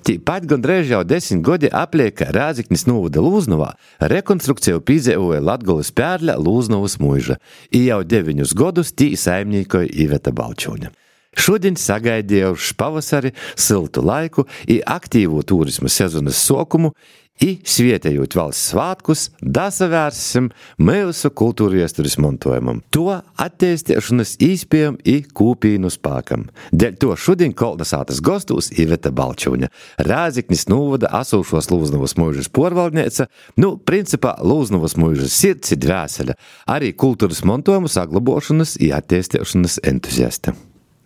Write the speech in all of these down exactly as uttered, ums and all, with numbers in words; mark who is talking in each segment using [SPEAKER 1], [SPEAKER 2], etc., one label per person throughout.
[SPEAKER 1] Tīpat gandrīz jau desmit godi aplieka Rāziknis novada Lūznavā rekonstrukciju pīdzevoja Latgolas Pērļa Lūznavas muiža, i jau deviņus godus tī saimnīkoja Iveta Balčūņa. Šodien sagaidījuši pavasari, siltu laiku i aktīvo turismu sezonas sokumu i svietējot valsts svātkus, dasavērsim mūsu kultūra iesturis montojumam. To attīstīšanas īspējam i kūpīnu spākam. Dēļ to šodien Kolnasātas gostūs Iveta Balčūņa, Rāziknis novada asūšos Lūznavas muižas porvaldniece, nu, principā Lūznavas muižas sirds i dvēsele, arī kultūras montojumu saglabošanas i attīstīšanas entuziasta.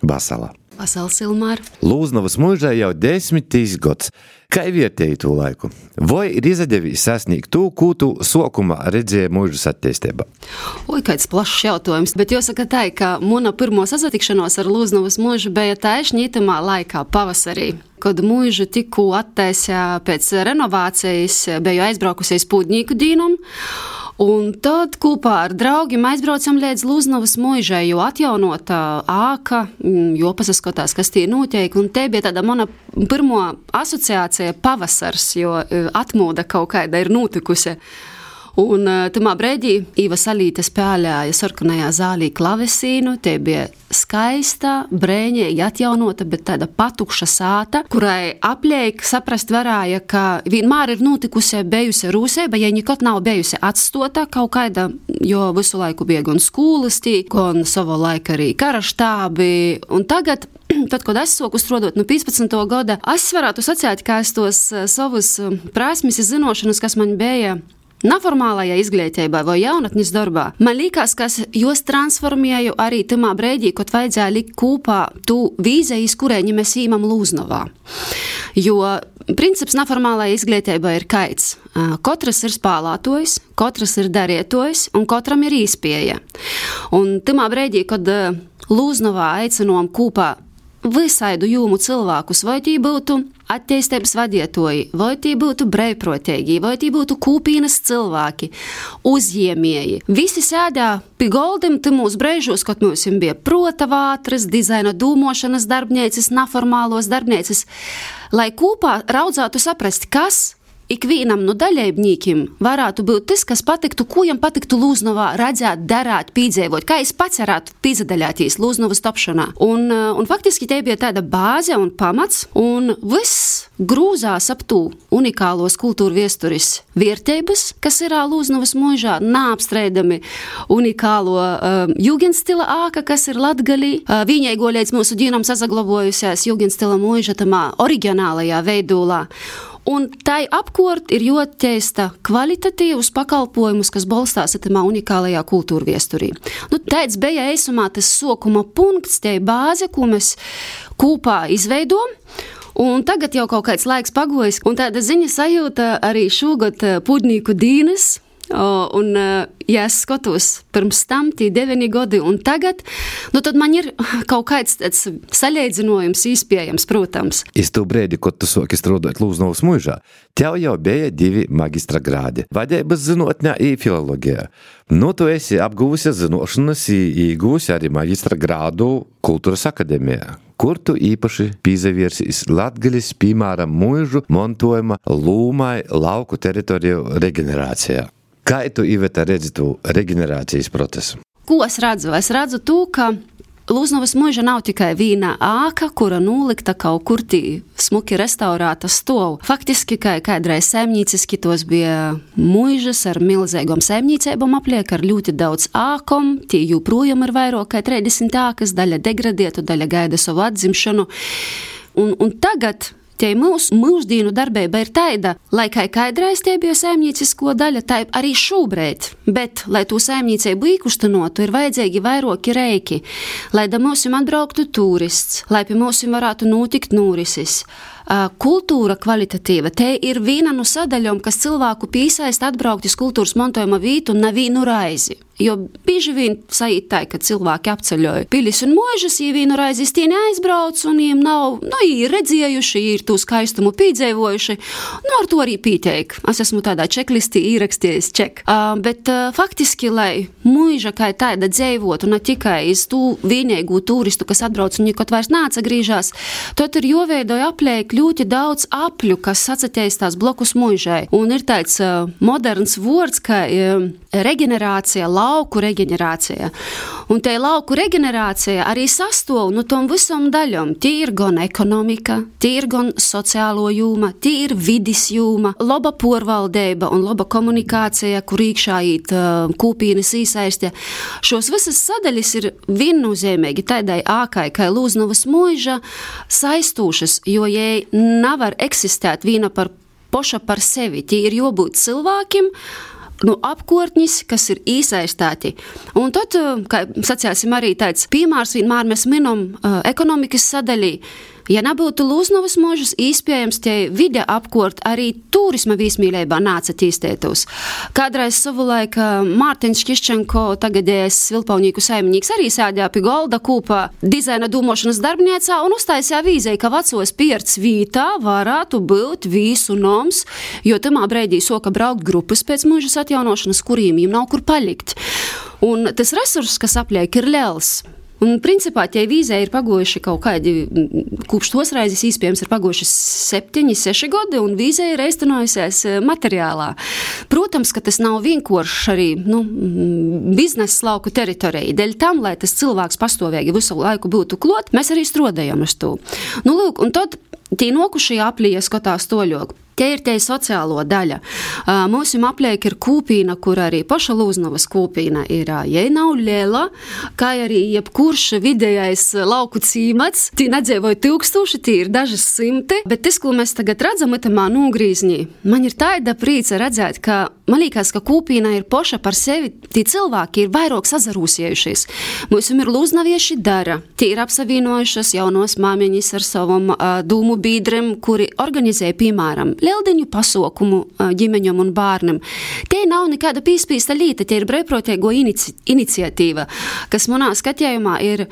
[SPEAKER 1] Basala.
[SPEAKER 2] Basala Silmāra.
[SPEAKER 1] Lūznavas muižai jau desmitīs gods. Kā vietēji tū laiku? Vai ir izadevis sasniegt tū, kū tu sokuma redzēja muižas attīstībā?
[SPEAKER 2] Oi, kāds plašs jautājums, bet jāsaka tā, ka muna pirmo sasatikšanos ar Lūznavas muižu bija taišņi itamā laikā, pavasarī. Kad muižu tikko attaisā pēc renovācijas, biju aizbraukusies Pūdnīku dīnum, un tad kopā ar draugiem aizbraucam līdz Lūznavas muižai, jo atjaunota āka, jo pasaskotās, kas tie notiek, un te bija tāda mana pirmo asociācija pavasars, jo atmoda kaut kāda ir notikusi. Un tamā brēdī Īva Salīte spēlēja sarkanajā zālī klavesīnu, te bija skaista, brēņēji atjaunota, bet tāda patukša sāta, kurai apliek saprast varāja, ka vienmēr ir notikusi bijusi rūsēba, ja nekot nav bijusi atstota kaut kāda, jo visu laiku bija gan skolas tī, gan savu laiku arī karaštābi, un tagad tad, kad es soku strodot no piecpadsmito gada, es varētu sacēt, ka es tos savus prasmes un zinošanas, kas man bija neformālajā izglītībā vai jaunatnes darbā, man liekas, ka jūs transformēju arī tamā brēdī, kad vajadzēja likt kopā tu vīzijas, kurēņi mēs īmam Lūznavā. Jo princips neformālajā izglītībā ir kaids. Katrs ir spēlētojs, katrs ir darietojs un katram ir īspēja. Un tamā brēdī, kad Lūznavā aicinām kopā visaidu jūmu cilvēkus, vai tī būtu attīstības vadietoji, vai tī būtu brēvprotēgi, vai tī būtu kūpīnas cilvēki, uzjēmēji. Visi sēdā pie goldim timūs brēžos, kad mums bija prota vātras, dizaina dūmošanas darbnēcis, neformālos darbnēcis, lai kopā raudzātu saprast, kas ikvienam no daļaibnīkim varētu būt tas, kas patiktu, ko jam patiktu Lūznavā redzēt, darāt, pīdzēvot, kā es pats varētu pīdzadaļāties Lūznavas tapšanā. Un, un faktiski te bija tāda bāze un pamats, un viss grūzās ap tū unikālos kultūra viesturis viertības, kas ir Lūznavas muižā, nāapstreidami unikālo um, jūgenstila āka, kas ir Latgalī. Uh, Viņaigo līdz mūsu dīnam sasaglavojusies jūgenstila muiža tamā oriģinālajā veidolā. Un tai apkort ir joteista kvalitatīvus pakalpojumus, kas balstās atamā unikālajā kultūra viesturī. Nu, tāds bija eisumā tas sokuma punkts, tie bāze, ko mēs kopā izveidojam. Un tagad jau kaut kāds laiks pagojis, un tāda ziņa sajūta arī šogad Pūdnīku dīnes. Un, ja es skatos pirms tam, tī deveni godi un tagad, nu tad man ir kaut kāds tāds saļēdzinojums īspējams, protams.
[SPEAKER 1] Iz tū brēdi, kad tu soki strādāt Lūznavas muižā, tev jau bija divi magistra grādi – vadības zinotņā i filologijā. Nu, tu esi apgūsi zinošanas i iegūsi arī magistra grādu Kultūras akadēmijā, kur tu īpaši pīzaviersīs Latgalis, piemēram, muižu montojuma lūmai lauku teritoriju regenerācijā. Kā tu, Iveta, redzi tu regenerācijas procesu?
[SPEAKER 2] Ko es redzu? Es redzu to, ka Lūznavas muiža nav tikai vīna āka, kura nūlikta kaut kur tī smuki restaurāta stov. Faktiski, kā kādreiz saimnīciski tos bija muižas ar milzīgom saimnīcībām apliek, ar ļoti daudz ākom, tī joprojām ir vairāk kā trīsdesmit ākas, daļa degradētu, daļa gaida savu atzimšanu. Un, un tagad tie mūsu mūždīnu darbība ir taida, lai kā kādreiz tie bija saimniecisko daļa, tā arī šobrīd, bet, lai to saimniecību īkustinotu, ir vajadzīgi vairāki reiki, lai da mūsim atbrauktu turists, lai pie mūsim varētu notikt norisis. Kultūra kvalitatīva, te ir viena no sadaļom, kas cilvēku piesaist atbraukt iz kultūras montojuma vītu un nevienu raizi. Jo bieži vien sajūt tā, ka cilvēki apceļoja pilis un mūžas, ja vienu raizi tie neaizbrauc un viņiem nav, nu, ir redzējuši, ir to skaistumu pīdzēvojuši, nu, ar to arī pīteik. Es esmu tādā čeklistī īrakstījis ček. Uh, bet uh, faktiski, lai mūža kā tāda dzēvotu, ne tikai iz tū vienīgu turistu, kas atbrauc un nekot vairs nāca grīžās, tad ir joveidoja apliek paliek ļoti daudz apļu, kas atsateistās blokus muižai. Un ir tāds uh, moderns vārds, ka uh, reģenerācija, lauku reģenerācija. Un te lauku reģenerācija arī sastāv no tom visam daļam. Tie ir gan ekonomika, tie ir gan sociālo jūma, tie ir vidis jūma, laba porvaldeiba un laba komunikācija, kur iekšā īt uh, kūpīnas īsaistē. Šos visas sadaļas ir viennozīmīgi tādai ākai, kā Lūznavas muiža saistūšas, jo jai nevar eksistēt viena par poša par sevi. Tie ir jābūt cilvēkiem, nu, apkortņis, kas ir īsaistāti. Un tad, kā sacēsim arī tāds piemērs, vienmēr mēs minam uh, ekonomikas sadaļī. Ja nebūtu Lūznavas muižas, īspējams tie vide apkort arī turisma vīsmīlībā nāca tīstētos. Kādreiz savulaik Mārtiņš Kiščenko, tagadējais Vilpaunīku saimnīgs, arī sēdēja pie golda kūpā dizaina dūmošanas darbniecā un uztaisīja vīzei, ka vecos pierts vītā varētu būt vīsu noms, jo tamā breidī soka braukt grupas pēc muižas atjaunošanas, kuriem jiem nav kur palikt. Un tas resurss, kas apliek, ir liels. Un, principā, tie vīzē ir pagojuši kaut kādi, kopš tos reizes īspējams ir pagojuši septiņi, seši gadi, un vīzē ir eistenojusies materiālā. Protams, ka tas nav vienkārši arī, nu, biznesa lauku teritorija. Dēļ tam, lai tas cilvēks pastāvīgi visu laiku būtu klot, mēs arī strodējam uz to. Nu, lūk, un tad tie nokušie aplīja skatās toļok. Tie ir tie sociālo daļa. Mūsu apliek ir kūpīna, kur arī paša Lūznavas kūpīna ir, jai nav liela, kā arī jebkurš vidējais lauku cīmats. Tī nedzēvoja tūkstoši, tī ir dažas simti, bet tas, ko mēs tagad redzam, itamā nūgrīzņī, man ir tāda prīca redzēt, ka man liekas, ka kūpīna ir paša par sevi, tī cilvēki ir vairāk sazarūsiejušies. Mūsu ir lūznavieši dara, tī ir apsavienojušas jaunos māmiņas ar savam uh, dūmu bīdrem, kuri organizē, piemēram, lieldiņu pasaukumu ģimeņam un bārnam. Tie nav nekāda pīspīsta līta, tie ir brīvprātīgo inici- iniciatīva, kas manā skatījumā ir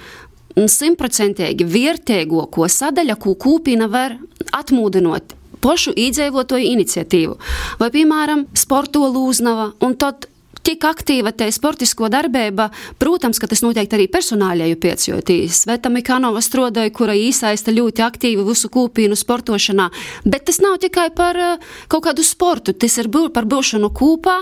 [SPEAKER 2] simtprocentīgi vērtīgo, ko sadaļa, ko kūpina var atmūdinot pošu īdzēvotoju iniciatīvu. Vai, piemēram, sporto Lūznava, un tad tik aktīva te sportisko darbība, protams, ka tas noteikti arī personāļēju pēc, jo tī Sveta Mikanova strodoja, kura īsaista ļoti aktīvi visu kūpīnu sportošanā, bet tas nav tikai par uh, kaut kādu sportu, tas ir bū, par būšanu kūpā,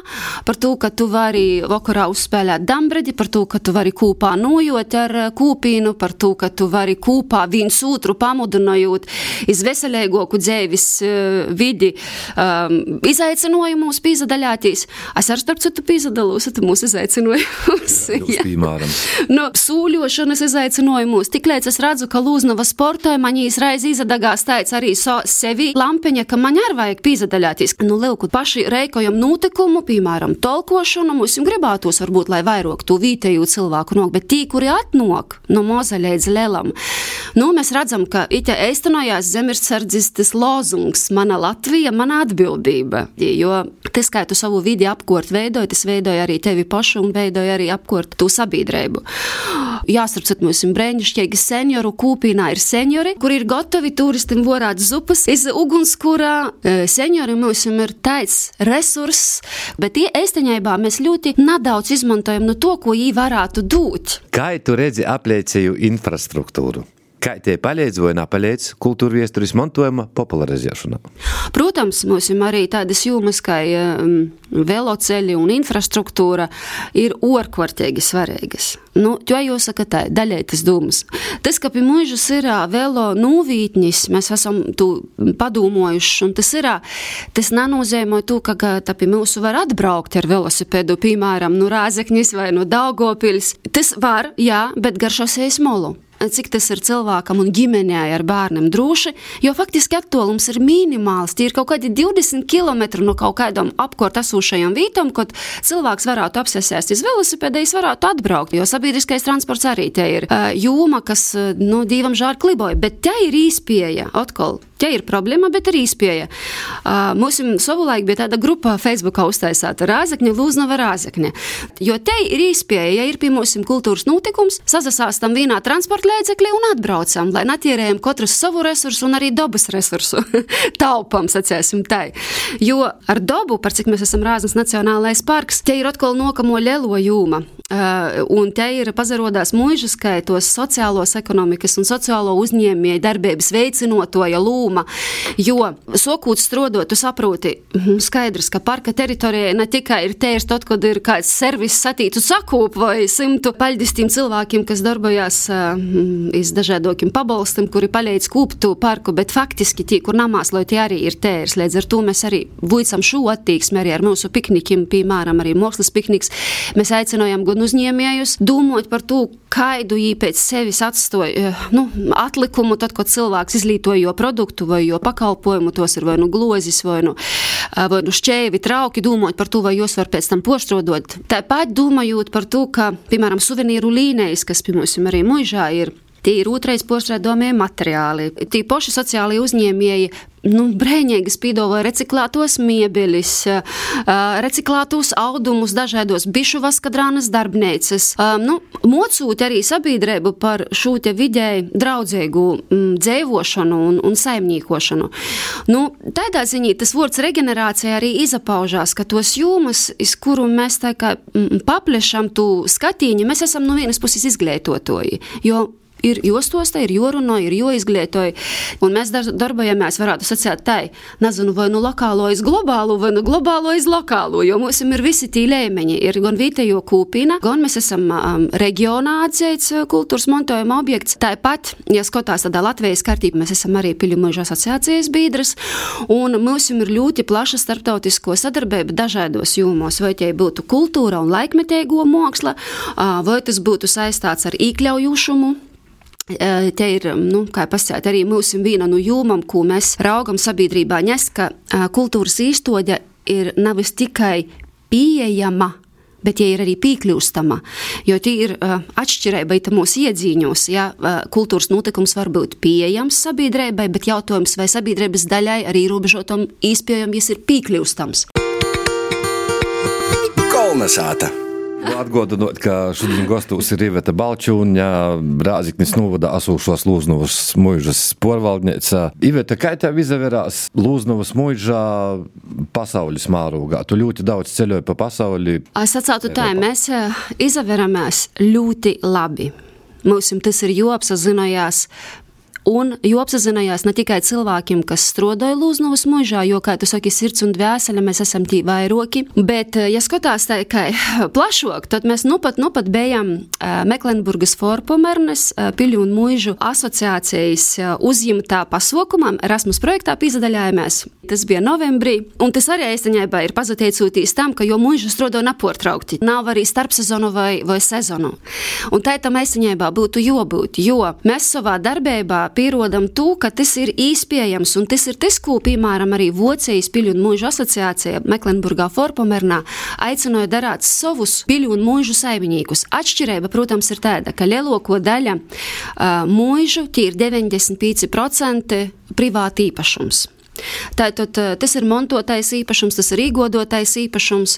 [SPEAKER 2] par to, ka tu vari vakarā uzspēlēt dambredi, par to, ka tu vari kūpā nojot ar uh, kūpīnu, par to, ka tu vari kūpā viens otru pamudinājot iz veselīgoku dzēvis uh, vidi um, izaicinojumus pīzadaļātīs. Es ar starp citu pīzadaļātīs dalūsat mūsu izaicinojumus.
[SPEAKER 1] Jā, piemēram.
[SPEAKER 2] No sūļošanas izaicinojumus. Tiklēc es redzu, ka Lūznava sportoja, man īs reiz izadagās tāds arī so, sevi lampiņa, ka man arī vajag pīzadaļāties. Nu, lielku paši reikojam notikumu, piemēram, tolkošanu, mums gribētos varbūt, lai vairāk tu vītēju cilvēku nok, bet tī, kuri atnok no moza līdz lielam. Nu, mēs redzam, ka ite eistanojās zemirdsardzis tas lozungs, mana Latvija, mana atbildība. Jo tas, kā tu savu vidi apkort veidoji, tas veidoja arī tevi pašu un veidoja arī apkort tu sabiedrību. Jāsarpsat mums brēņšķīgi senioru kūpīnā ir seniori, kuri ir gotovi turistim vorāt zupas iz ugunskura. Seniori mums ir tāds resurss, bet tie eistaņaibā mēs ļoti nedaudz izmantojam no to, ko jī varētu dūt.
[SPEAKER 1] Kā tu redzi apliecēju infrastruktūru? Kā tie palīdz vai nepalīdz kultūra viesturis mantojuma popularizēšanā?
[SPEAKER 2] Protams, mums arī tādas jūmas, kā um, veloceļi un infrastruktūra ir ārkārtīgi svarīgas. Nu, jo jāsaka tā, daļai tas dūmas. Tas, ka pie muižas ir velo nūvītnis, mēs esam tu padūmojuši, un tas ir, tas nenozīmē to, ka tā pie mūsu var atbraukt ar velosipēdu, piemēram, no Rāzeknis vai no Daugavpils. Tas var, jā, bet gar šosejas molu. Cik tas ir cilvēkam un ģimenei ar bērniem droši, jo faktiski attolums ir minimāls. Tie ir kaut kādi divdesmit kilometri no kaut kādam apkort esūšajam vītam, kad cilvēks varētu apsēsties uz velosipēda, viņš varētu atbraukt, jo sabiedriskais transports arī te ir uh, jūma, kas, nu, dīvam žār kliboja, bet te ir īspēja, atkal. Te ir problēma, bet ir īspēja. Uh, mums savulaik bija tāda grupa Facebookā uztaisāta Rāzekņa, Lūznava Rāzekņa. Jo te ir īspēja, ja ir pie mums kultūras notikums, sazasāstam vienā transporta līdzekļi un atbraucam, lai natierējam katru savu resursu un arī dabas resursu. Taupam, sacēsim tai. Jo ar dabu, par cik mēs esam Rāznas nacionālais parks, te ir atkal nokamo lielo jūma. Uh, un te ir pazarodās muižas, kā tos sociālos ekonomikas un sociālo uzņēmēju darbības veicinotoja lūma. dūma, jo sokūt strodot, tu saproti, skaidrs, ka parka teritorijai ne tikai ir tērs tot, kad ir kāds servis satītu sakūp vai simtu paļdistīm cilvēkiem, kas darbojās uh, iz dažādokiem pabalstim, kuri paleidz kūptu parku, bet faktiski tī, kur namās, lai tie arī ir tērs. Līdz ar to mēs arī vuicam šo attīksmi arī ar mūsu piknikiem, piemēram, arī mākslas pikniks. Mēs aicinājam gan uzņēmējus dūmot par to, kaidu jī pēc sevis atstoja nu, atlikumu, tad, kad cilvēks izlītoja jo produktu vai jo pakalpojumu, tos ir vai nu glozis, vai nu, vai nu šķēvi, trauki, dūmot par to, vai jūs var pēc tam poštrodot. Tāpat domājot par to, ka, piemēram, suvenīru līnijas, kas, piemēram, arī muižā ir, tie ir otrais poštrodāmie materiāli. Tie poši sociāli uzņēmēji nu, brēņēgas pīdova reciklētos miebelis, reciklētos audumus, dažādos bišu vaskadrānas darbnīcas. Nu, mocūt arī sabiedrību par šo te vidēji draudzīgu mm, dzēvošanu un, un saimnīkošanu. Nu, tādā ziņā tas vārds regenerācija arī izapaužās, ka tos jūmas, iz kuru mēs tā kā mm, paplešam tu skatīņi, mēs esam no vienas puses izglītotoji, jo ir jostostā, ir jorunā, ir joizglītoja, un mēs darbojamies, varētu sacīt tai, nezinu, vai nu lokālo iz globālu, vai nu globālo iz lokālu, jo mums ir visi tī līmeņi, ir gan vietējo kūpina, gan mēs esam um, reģionā atzīts kultūras montojuma objekts. Tāpat, ja skatās tādā Latvijas kārtība, mēs esam arī Piļu muižu asociācijas biedrs, un mums ir ļoti plaša starptautisko sadarbība dažādos jūmos, vai tie būtu kultūra un laikmetēgo māksla, vai tas būtu saistāts ar īkļaujušumu. Te ir, nu, kā pasēt, arī mums viena no jūmam, ko mēs raugam sabiedrībā nes, ka kultūras īstoģa ir navis tikai pieejama, bet ja ir arī pīkļūstama, jo tie ir uh, atšķirība ita mūsu iedzīņos, ja uh, kultūras notikums var būt pieejams sabiedrībai, bet jautājums vai sabiedrības daļai arī ierobežotam īspējam, ja ir pīkļūstams.
[SPEAKER 3] Kolnesāta.
[SPEAKER 1] Atgādinot, ka šodien gastos ir Iveta Balčūņa, Rāziknis novada asūšos Lūznavas muižas porvaldniece. Iveta, kā tev izaverās Lūznavas muižā pasaules mārūgā? Tu ļoti daudz ceļoji pa pasauli.
[SPEAKER 2] Es atsātu tā, mēs izaveramies ļoti labi. Mums tas ir jāapsazinājās. Un jo apsazinājās ne tikai cilvēkiem, kas strodoja Lūznavas muižā, jo, kā tu saki, sirds un dvēsele, mēs esam tī vairoki, bet, ja skatās tā, kā plašok, tad mēs nu pat, nu pat bijām Meklenburgas Forpomernes Piļu un muižu asociācijas uzņemtā pasaukumam, Erasmus projektā pīzadaļājamies. Tas bija novembrī, un tas arī eistaņaibā ir pazateicūtīs tam, ka jo muižu strodo naportraukti, nav arī starpsezonu vai, vai sezonu. Un tā tam eistaņaibā būtu jobūt, jo mēs savā darbībā pierodam to, ka tas ir īspējams, un tas ir tas, ko, piemēram, arī Vocijas Piļu un muižu asociācija Meklenburgā Forpomernā aicināja darāt savus Piļu un muižu saimniekus. Atšķirība, protams, ir tāda, ka lielāko daļa uh, muižu, tie ir deviņdesmit pieci procenti privāti īpašums. Tātad tas ir montotais īpašums, tas ir īgodotais īpašums,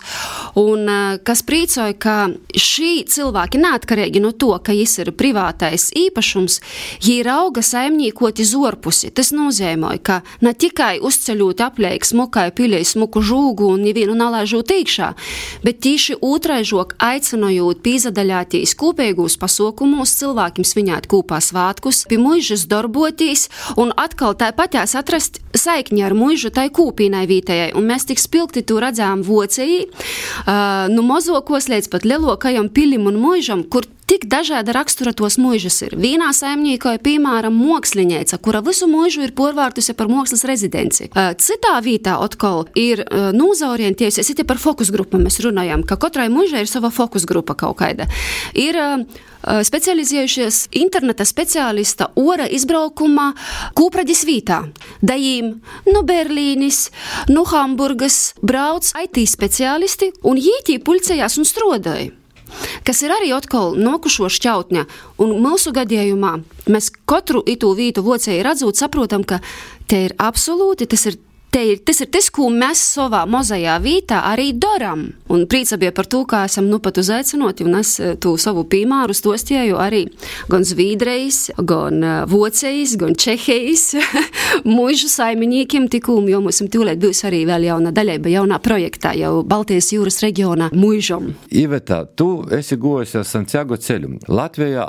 [SPEAKER 2] un kas prīcoja, ka šī cilvēki neatkarīgi no to, ka jis ir privātais īpašums, jī rauga saimnīkoti zorpusi. Tas nozīmē, ka ne tikai uzceļot apleik smukai piļai smuku žūgu un nevienu nalaižot iekšā, bet tīši otraižok aicinojot pīzadaļātīs kopīgūs pasaukumos cilvēkiem sviņāt kūpā svātkus, pie muižas darbotīs un atkal tāpatās atrast saikni ar muižu tai kūpīnai vītējai, un mēs tik spilgti tu redzām Vocejī, uh, nu mozokos līdz pat lielokajam pilim un muižam, kur tik dažāda rakstura tos muižas ir. Vienā saimnīkoja, piemēram, moksliņēca, kura visu muižu ir porvārtusi par mākslas rezidenci. Uh, citā vītā atkal ir uh, nūzaorientējusies, it par fokus grupu mēs runājam, ka katrai muižai ir sava fokus grupa kaut kaida. Ir uh, specializējušies interneta speciālista ora izbraukumā Kūpraģis vītā. Dajīm no Berlīnis, no Hamburgas brauc I T speciālisti un jītī pulcējās un strodoja. Kas ir arī atkal nokušo šķautņa, un mūsu gadījumā mēs katru itū vītu Vocēji redzot, saprotam, ka te ir absolūti, tas ir Te ir, tas ir tas, ko mēs savā mozajā vītā arī daram. Un prīca bija par to, kā esam nu pat uzaicinoti, un es tu savu piemēru stostieju arī gan Zvīdrejas, gan Vocejis, gan Čehijas muižu saimniekiem tikūm, jo mums tūlēt būs arī vēl jauna daļaiba, jaunā projektā, jau Baltijas jūras reģionā muižam.
[SPEAKER 1] Iveta, tu esi gojusi ar Santiago ceļu. Latvijā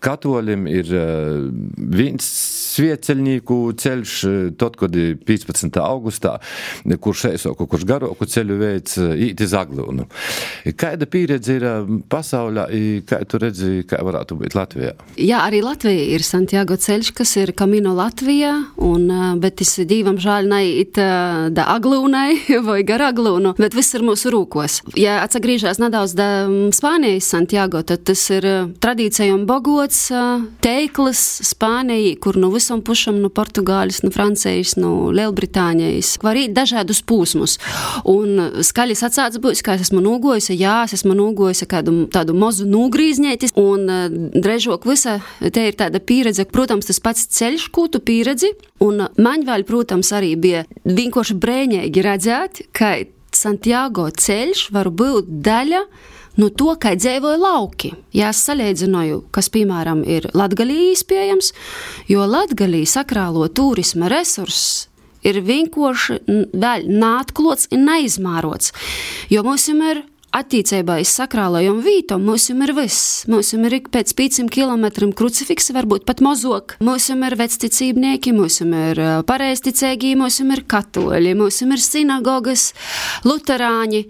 [SPEAKER 1] katolim ir viens svieceļnieku ceļš, tad, kad piecpadsmitā augustā, kurš eisoku, kurš garoku ceļu veids īt iz Aglūnu. Kāda pieredze ir pasaulē, kā tu redzi, kā varētu būt Latvijā?
[SPEAKER 2] Jā, arī Latvija ir Santiago ceļš, kas ir Camino Latvijā, un, bet es dīvam žāļ naiit da Aglūnai vai gar Aglūnu, bet viss ir mūsu rūkos. Ja atsagrīžās nedaudz da Spānijas Santiago, tad tas ir tradīcijom bogots teiklis Spānijai, kur nu visam pušam, nu Portugālis, nu Francijas, nu Lielbritānijas, var īt dažādus pūsmus. Un skaļi sacāts būs, ka es esmu nūgojusi, jā, es esmu nūgojusi kādu tādu mozu nūgrīzņētis, un drežok visa, te ir tāda pieredze, protams, tas pats ceļš, ko tu pieredzi, un man vēl, protams, arī bija vienkārši brēņēgi redzēt, ka Santiago ceļš var būt daļa no to, kā dzīvoja lauki. Ja es salīdzināju, kas, piemēram, ir Latgalī iespējams, jo Latgalī sakrālo turisma resurss ir vienkārši vēl neatklots un neizmērots, jo mums ir attīcībā iz sakrālajom vītom, mums ir viss. Mums ir pēc pieciem kilometriem krucifiksi, varbūt pat mozok. Mums ir vecticībnieki, mums ir pareizticēgī, mums ir katoļi, mums ir sinagogas, luterāņi.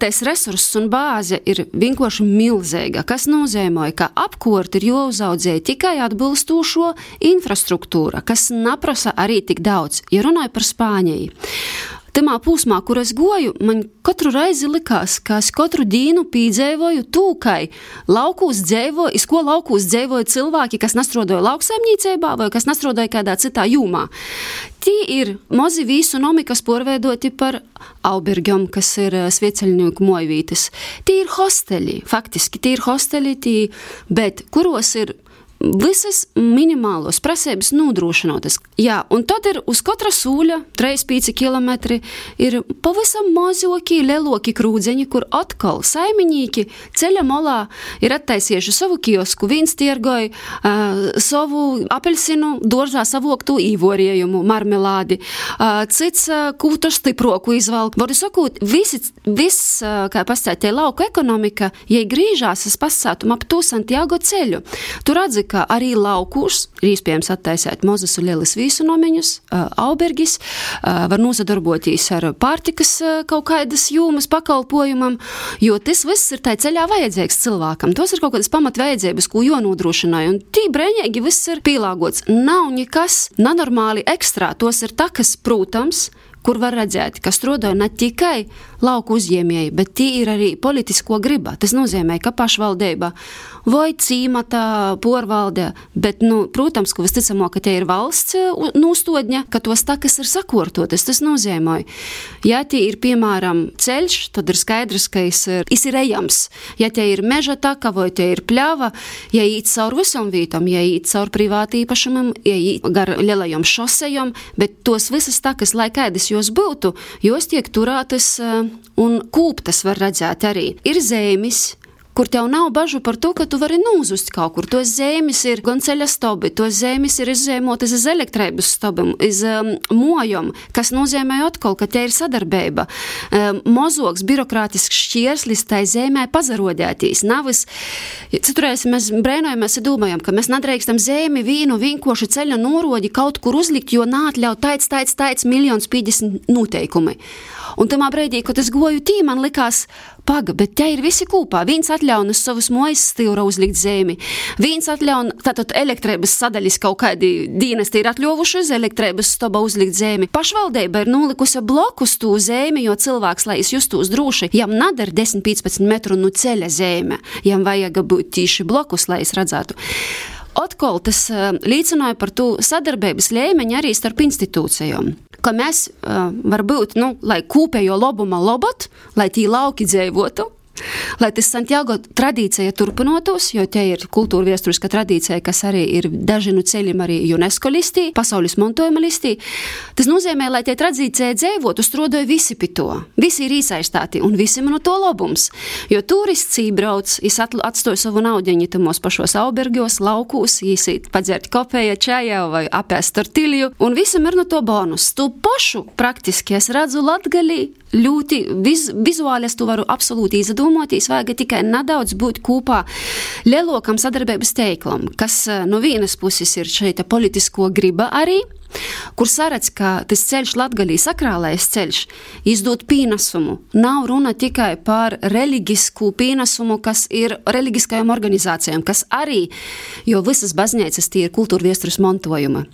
[SPEAKER 2] Tais resurss un bāze ir vienkārši milzīga, kas nozīmē, ka apkort ir jāuzaudzē tikai atbilstošo infrastruktūra, kas neprasa arī tik daudz. Ja runāju par Spāniju. Tamā pūsmā, kur es goju, man katru reizi likās, ka es katru dīnu pīdzēvoju tūkai laukūs dzēvoju, iz ko laukūs dzēvoju cilvēki, kas nastrodoja lauksaimniecībā vai kas nastrodoja kādā citā jūmā. Tī ir mozi vīsu nomi, kas porveidoti par aubergiem, kas ir svieceļnieku mojvītes. Tī ir hosteļi, faktiski, tī ir hosteļi, tī, bet kuros ir visas minimālos prasības nodrošinotas. Jā, un tad ir uz katra sūļa, trīs pīci kilometri, ir pavisam mazoki, leloki krūdzeņi, kur atkal saimiņīki ceļa molā ir attaisieši savu kiosku, viens tiergoja uh, savu apelsinu doržā savoktu īvoriejumu, marmelādi, uh, cits uh, kūtu stiproku izvalk. Varu sakot, visi, viss, uh, kā pastātie lauku ekonomika, ja grīžās, es pasātum ap to Santiago ceļu. Tu redzi, ka arī laukūs ir iespējams attaisēt mozus un lielas vīsunomeņus, aubergis, var nosadarboties ar pārtikas kaut kādas jūmas pakalpojumam, jo tas viss ir tai ceļā vajadzīgs cilvēkam. Tos ir kaut kādas pamatvajadzības, ko jonodrošināja, un tī brēņēgi viss ir pielāgots. Nav nekas nenormāli ekstrā, tos ir takas, protams, kur var redzēt, ka strodoja ne tikai lauku uzņēmēji, bet tī ir arī politisko griba. Tas nozīmē, ka pašvaldība vai cīmata porvalde, bet, nu, protams, ka visticamāk, ka tie ir valsts nūstodņa, ka tos takas ir sakortotas. Tas nozīmē, ja tie ir, piemēram, ceļš, tad ir skaidrs, ka is ir, is ir ejams. Ja tie ir meža taka vai tie ir pļava, ja īt caur visam vītam, ja īt caur privāti īpašumam, ja īt gar lielajom šosejom, bet tos visas takas, lai kādas jos būtu, jos tiek turētas un kūptas var redzēt arī. Ir zemes, kur tev nav bažu par to, ka tu vari nūzust kaut kur. Tos zemes ir gan ceļa stobi, tos zemes ir izzēmotas iz elektrības stobim, iz um, mojom, kas nozīmē atkal, ka te ir sadarbība. Um, mozoks, birokrātisks šķierslis tai zemē pazarodētīs. Navis, citurēs mēs brēnojamies un domājam, ka mēs nedrīkstam zemi vīnu vienkoši ceļa norodi kaut kur uzlikt, jo nātļaut taic, taic, taic, miljons pīdesmit noteikumi. Un tamā breidī, kad es goju tī, man likās, paga, bet te ir visi kūpā. Viens atļaun uz savus mojas stīvra uzlikt zemi. Viens atļaun, tātad elektrības sadaļas kaut kādi dienesti ir atļovuši uz elektrības stoba uzlikt zemi. Pašvaldība ir nolikusi blokus tū zemi, jo cilvēks, lai es justos drūši, jam nadar desmit līdz piecpadsmit metru no ceļa zeme. Jam vajag būt tīši blokus, lai es redzētu. Atkal tas uh, līdzināja par to sadarbības līmeņu arī starp institūcijām. Ka mēs, uh, varbūt, nu, lai kūpējo lobuma lobot, lai tī lauki dzēvotu, lai tas Santiago tradīcija turpinotos, jo te ir kultūra viesturiska tradīcija, kas arī ir daži no ceļiem arī UNESCO listī, pasaules mantojuma listī. Tas nozīmē, lai te tradīcija dzēvotu, strodoja visi pie to. Visi ir īsaistāti un visiem no to labums. Jo turists ībrauc, jis atstoja savu naudeņu tamos pašos aubergos, laukūs, jis padzert kopēja čajā vai apēst tortilju, un visam ir no to bonus. Tu pašu praktiski es redzu Latgalī ļoti viz, vizuāli es tu varu absolūti izadot tūmotīs, vajag tikai nedaudz būt kūpā lielokam sadarbības teiklam, kas no vienas puses ir šeita politisko griba arī, kur saredz, ka tas ceļš Latgalī sakrālais ceļš izdod pīnesumu. Nav runa tikai par reliģisku pīnesumu, kas ir reliģiskajām organizācijām, kas arī, jo visas baznīcas tie ir kultūra viesturis montojuma.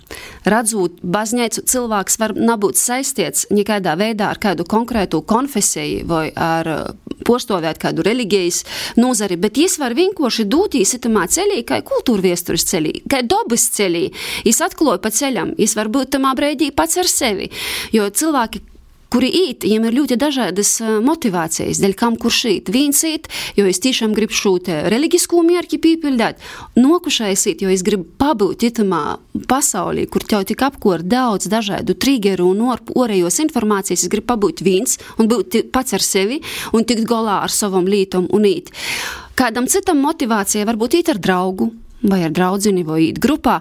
[SPEAKER 2] Radzot baznīcu, cilvēks var nebūt saistīts nekādā veidā ar kādu konkrētu konfesiju vai ar postovēt kādu reliģijas nozari, bet jis var vienkoši dūtīs itamā ceļī, kā kultūra viesturis ceļī, kā dobas ceļī. Jis atkloja pa ceļam, jis var būt tamā breidī pats ar sevi, jo cilvēki, kuri īt, viņiem ir ļoti dažādas motivācijas, dēļ kam kurš īt. Viens īt, jo es tiešām gribu šūt reliģiskū mierķi pīpildēt, nokušais īt, jo es gribu pabūt itamā pasaulī, kur tev tik apkor daudz dažādu triggeru un orējos informācijas, es gribu pabūt viens un būt pats ar sevi un tikt golā ar savam lītom un īt. Kādam citam motivācija varbūt īt ar draugu, vai ar draudzini, vai īt grupā.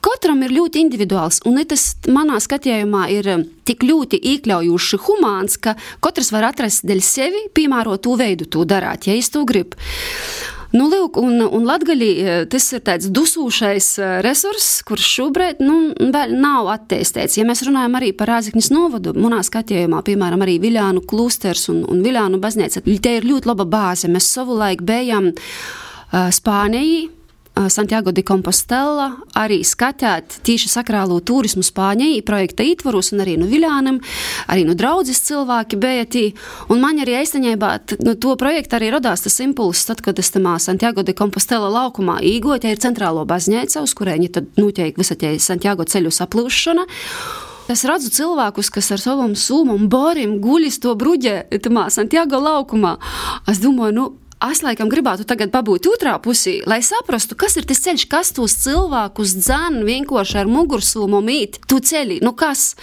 [SPEAKER 2] Katram ir ļoti individuāls, un tas manā skatījumā ir tik ļoti iekļaujuši humāns, ka katrs var atrast dēļ sevi piemērot tū veidu tū darāt, ja es to grib. Nu, lūk, un, un Latgalī tas ir tāds dusūšais resurss, kurš šobrīd, nu, vēl nav attīstīts. Ja mēs runājam arī par Rāziknis novadu, manā skatījumā, piemēram, arī Viļānu klūsters un, un Viļānu baznīca, te ir ļoti laba bāze. Mēs savulaik bijām uh, Spānijā, Santiago de Compostela, arī skatāt tīši sakrālo turismu Spāņai projekta ītvaros un arī no Viļānam, arī no draudzes cilvēki bija tī. Un man arī eistaņībā no to projekta arī rodās tas impulss, tad, kad es tamā Santiago de Compostela laukumā īgoju, te ir centrālo baznīca, uz kurēņi tad notiek visa tie Santiago ceļu saplūšana. Es redzu cilvēkus, kas ar savam sūmu un borim guļis to bruģē tamā Santiago laukumā. Es domāju, nu, es laikam gribētu tagad pabūt otrā pusī, lai saprastu, kas ir tas ceļš, kas tos cilvēkus dzan vienkoši ar mugursūmu mīt, tu ceļi, nu kas?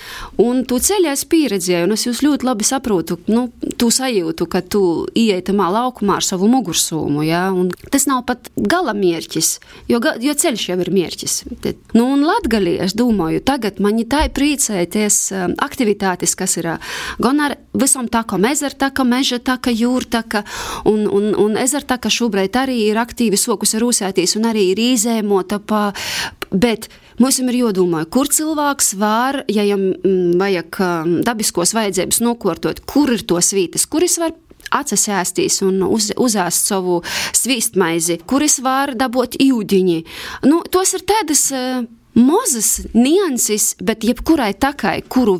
[SPEAKER 2] Un tu ceļi es pieredzēju, un es jūs ļoti labi saprotu, nu, tu sajūtu, ka tu ieej tamā laukumā ar savu mugursūmu, ja? Un tas nav pat gala mierķis, jo, jo ceļš jau ir mierķis. Nu, un Latgalī, es domāju, tagad mani tā priecēties aktivitātes, kas ir gan ar visam takam, ezertaka, mežataka, jūrtaka, un, un Un ezertaka šobrīd arī ir aktīvi sokus rūsētīs un arī ir izēmota pa, bet mums ir jodomāja, kur cilvēks var, ja jam vajag dabiskos vajadzības nokortot, kur ir tos vītas, kuris var atsasēstīs un uz, uzēst savu svīstmaizi, kuris var dabot ūdiņi. Nu, tos ir tādas mazas nianses, bet jebkurai takai, kuru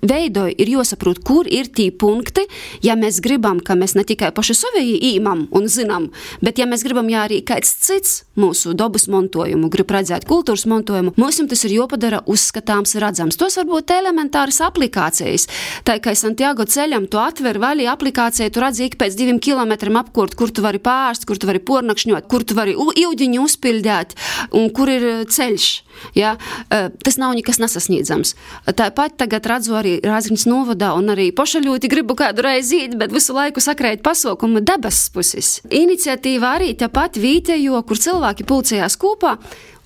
[SPEAKER 2] veidoja, ir jāsaprot, kur ir tī punkti, ja mēs gribam, ka mēs ne tikai paši savējī īmam un zinām, bet ja mēs gribam, ja arī kāds cits mūsu dobas montojumu, grib redzēt kultūras montojumu, mums tas ir jāpadara uzskatāms redzams. Tos varbūt elementāras aplikācijas. Tā kā Santiago ceļam tu atver vaļī aplikāciju, tu redzi ik pēc diviem kilometriem apkurt, kur tu vari pārst, kur tu vari pornakšņot, kur tu vari ūdiņu uzpildēt un kur ir ceļš. Ja, tas nav nekas nesasniedzams. Tāpat tagad redzu arī Rāziknis novadā un arī pošaļūti gribu kādu reizi īt, bet visu laiku sakrēt pasaukumu debesis puses. Iniciatīva arī tāpat vītējo, kur cilvēki pulcējās kopā,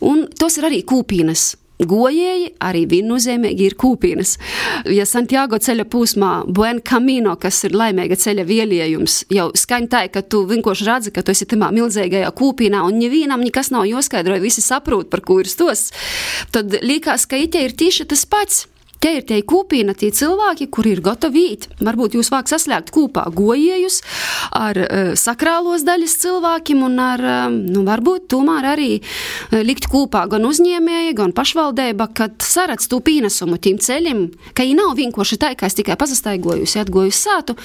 [SPEAKER 2] un tos ir arī kūpīnas. Gojēji, arī viennozīmīgi ir kūpīnas. Ja Santiago ceļa pūsmā Buen Camino, kas ir laimīga ceļa vieliejums, jau skaņ tā, ka tu vienkoši redzi, ka tu esi tamā milzīgajā kūpīnā un nevienam nekas nav jāskaidroja, visi saprot, par ko ir stos, tad līkās, ka ite ir tīši tas pats. Te ir tie kūpīna, tie cilvēki, kuri ir gatavi īt. Varbūt jūs vāk saslēgt kopā gojējus ar uh, sakrālos daļas cilvēkiem un ar, uh, nu, varbūt tomēr arī uh, likt kopā gan uzņēmēji, gan pašvaldība, kad saredz tū pīnesumu tiem ceļiem, ka viņi nav vienkoši tā, ka es tikai pasastaigojusi, atgojusi sātu,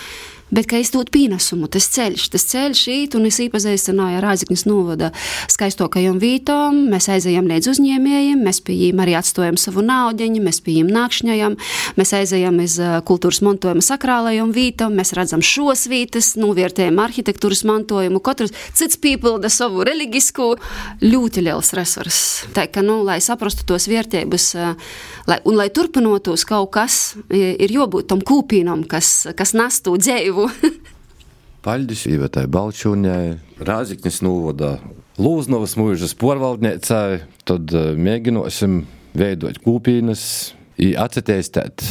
[SPEAKER 2] bet ka es dot pīnesumu, tas ceļš, tas ceļš īt, un es īpazīstināju ar Rāziknis novada skaistokajam vītom, mēs aizējam līdz uzņēmējiem, mēs pie jiem arī atstojam savu naudeņu, mēs pie jiem nākšņajam, mēs aizējam iz kultūras montojuma sakrālajam vītom, mēs redzam šos vītas, novērtējam arhitektūras mantojumu, katrs cits pīpilda savu reliģisku, ļoti liels resurs. Tā ka, nu, lai saprastu tos vērtības, lai, un lai turpinotos kaut kas, ir jābūt tam kūpīnam, kas, kas nestu dzēju.
[SPEAKER 1] Paļdis Ivetai Balčūņai, Rāziknis novada Lūznavas mūžas porvaldniecai, tad mēģinosim veidot kūpīnas i atceteistēt